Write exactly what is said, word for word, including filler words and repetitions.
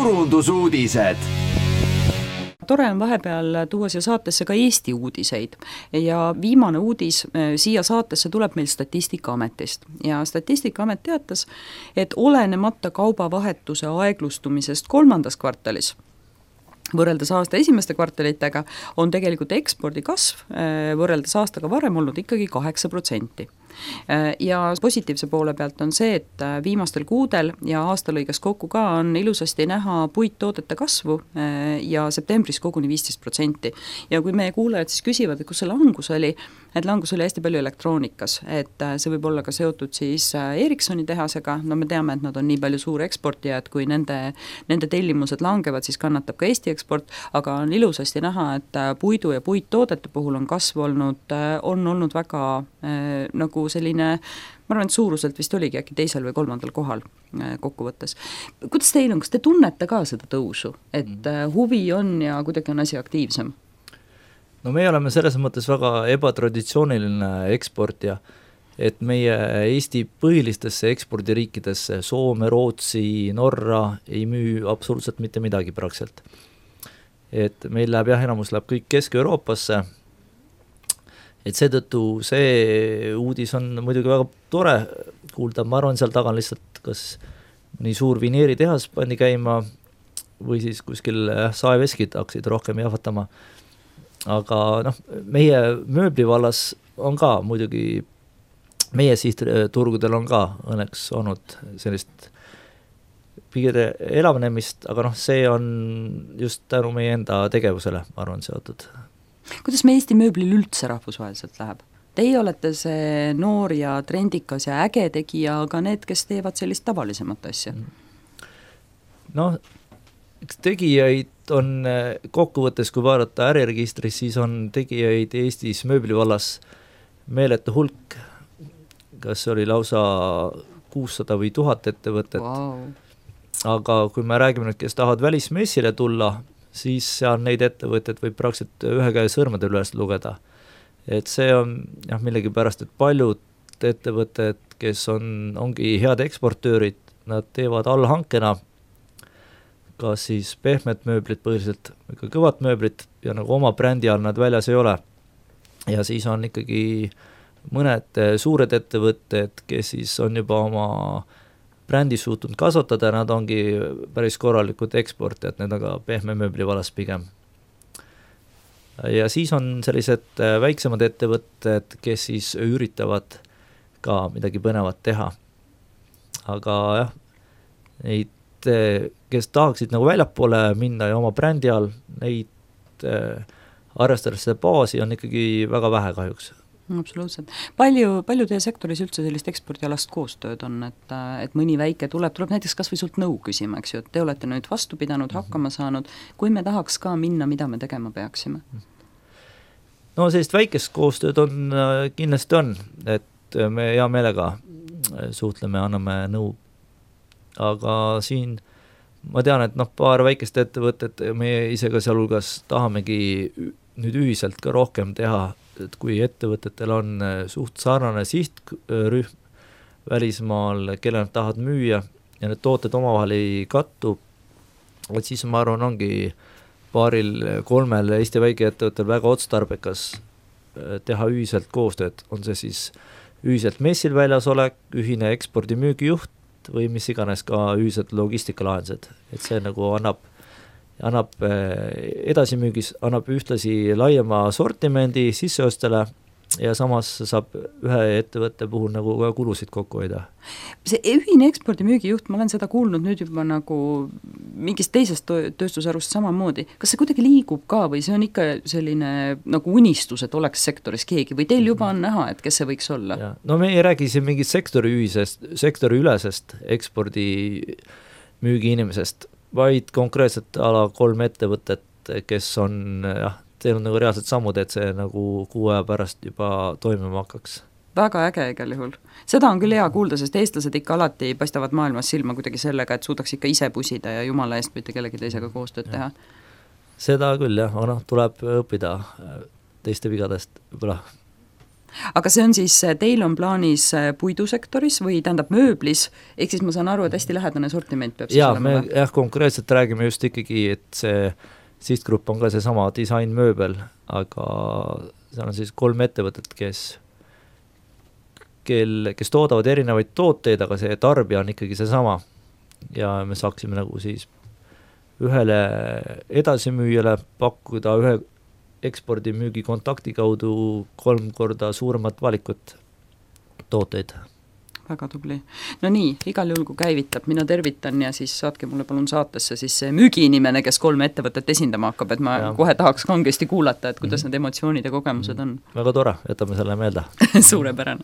turundusuudised. Tore on vahepeal tuua siia saatesse ka Eesti uudiseid ja viimane uudis siia saatesse tuleb meil Statistikaametist ja Statistikaamet teatas, et olenemata kaubavahetuse aeglustumisest kolmandas kvartalis võrreldes aasta esimeste kvartalitega on tegelikult ekspordi kasv võrreldes aastaga varem olnud ikkagi kaheksa protsenti. Ja positiivse poole pealt on see, et viimastel kuudel ja aasta lõigas kokku ka on ilusasti näha puittoodete kasvu ja septembris koguni viisteist protsenti. Ja kui meie kuulajad siis küsivad, et kus see langus oli, et langus oli hästi palju elektroonikas, et see võib olla ka seotud siis Ericssoni tehasega, no me teame, et nad on nii palju suur eksportija, et kui nende, nende tellimused langevad, siis kannatab ka Eesti eksport, aga on ilusasti näha, et puidu ja puittoodete puhul on kasv olnud, on olnud väga nagu selline, ma arvan, et suuruselt vist oligi äkki teisel või kolmandal kohal kokkuvõttes. Kuidas teil on, kas te tunnete ka seda tõusu, et huvi on ja kuidagi on asi aktiivsem? No me oleme selles mõttes väga ebatraditsiooniline eksportija, et meie Eesti põhilistesse ekspordiriikidesse, Soome, Rootsi, Norra ei müü absoluutselt mitte midagi praktiliselt. Et meil läheb jah, enamus läheb kõik Kesk-Euroopasse, et seetõttu see uudis on muidugi väga tore kuulda, ma arvan, seal taga on lihtsalt kas nii suur vineeritehas pandi käima või siis kuskil saeveskid hakkasid rohkem jahvatama. Aga noh, meie mööblivallas on ka muidugi, meie sihtturgudel on ka õnneks olnud sellist piire elavnemist, aga noh, see on just tänu meie enda tegevusele, ma arvan, seotud. Kuidas me Eesti mööblil üldse rahvusvaheliselt läheb? Teie olete see noor ja trendikas ja äge tegija, aga need, kes teevad sellist tavalisemat asja? Noh, eks tegijaid on kokkuvõttes, kui vaadata äriregistris, siis on tegijaid Eestis mööblivallas meeletu hulk, kas oli lausa kuussada või tuhat ettevõtet. Wow. Aga kui me räägime nüüd, kes tahavad välismessile tulla, siis seal neid ettevõtted võib praktiliselt ühe käe sõrmede üles lugeda. Et see on jah, millegi pärast, et paljud ettevõtted, kes on, ongi head eksportöörid, nad teevad allhankena kas siis pehmet mööblit põhiliselt, ikka kõvat mööblit ja nagu oma brändi all nad väljas ei ole. Ja siis on ikkagi mõned suured ettevõtted, kes siis on juba oma brändi suutnud kasvatada, nad ongi päris korralikud eksportijad, need aga pehme mööbli valas pigem. Ja siis on sellised väiksemad ettevõtted, kes siis üritavad ka midagi põnevat teha. Aga jah, neid kes tahaksid nagu väljapoole minna ja oma brändi all, neid äh, arvestades seda baasi on ikkagi väga vähe kahjuks. Absoluutselt. Palju, palju teie sektoris üldse sellist ekspordialast koostööd on, et, et mõni väike tuleb, tuleb näiteks kas või sult nõu küsima, eks ju, et te olete nüüd vastu pidanud, hakkama saanud, kui me tahaks ka minna, mida me tegema peaksime? No sellist väikest koostööd on, kindlasti on, et me hea meelega suhtleme, anname nõu. Aga siin ma tean, et noh, paar väikest ettevõtet, meie ise ka sealhulgas tahamegi nüüd ühiselt ka rohkem teha, et kui ettevõtetel on suht sarnane sihtrühm välismaal, kelle nad tahavad müüa ja need tooted omavahel ei kattu, et siis ma arvan, ongi paaril kolmel Eesti väikeettevõttel väga otstarbekas teha ühiselt koostööd, on see siis ühiselt messil väljas olek, ühine ekspordimüügijuht või mis iganes ka ühiselt logistikalahendused, et see nagu annab, annab edasimüügis, annab ühtlasi laiema sortimendi sisseostele ja samas saab ühe ettevõtte puhul nagu ka kulusid kokku hoida. See ühine ekspordimüügijuht, ma olen seda kuulnud nüüd juba nagu mingist teisest tööstusarust samamoodi. Kas see kuidagi liigub ka või see on ikka selline nagu unistus, et oleks sektoris keegi või teil juba on näha, et kes see võiks olla? Ja, no me ei räägi siin mingit sektori ühisest, sektori ülesest ekspordi müügi inimesest, vaid konkreetselt ala kolm ettevõtet, kes on jah, teil on nagu reaalsed sammud, et see nagu kuu aja pärast juba toimima hakkaks. Väga äge igal juhul. Seda on küll hea kuulda, sest eestlased ikka alati paistavad maailmas silma kuidagi sellega, et suudaks ikka ise pusida ja jumala eest mitte kellegi teisega koostööd teha. Seda küll jah, aga noh, tuleb õppida teiste vigadest võib-olla. aga see on siis, teil on plaanis puidusektoris või tähendab mööblis, ehk siis ma saan aru, et hästi lähedane sortiment peab siis ja, olema? Me, jah, konkreetselt räägime just ikkagi, et see sihtgrupp on ka see sama disainmööbel, aga seal on siis kolm ettevõtet, kes, kel, kes toodavad erinevaid tooteid, aga see tarbija on ikkagi see sama. Ja me saaksime nagu siis ühele edasimüüjale pakkuda ühe ekspordimüügi kontakti kaudu kolm korda suuremat valikut tooteid. Väga tubli. No nii, igal juhul kui käivitab, mina tervitan ja siis saatke mulle palun saatesse siis see müügiinimene, kes kolme ettevõtet esindama hakkab, et ma ja. kohe tahaks kangesti kuulata, et kuidas mm-hmm. need emotsioonid ja kogemused on. Väga tore, jätame selle meelde. Suurepärane.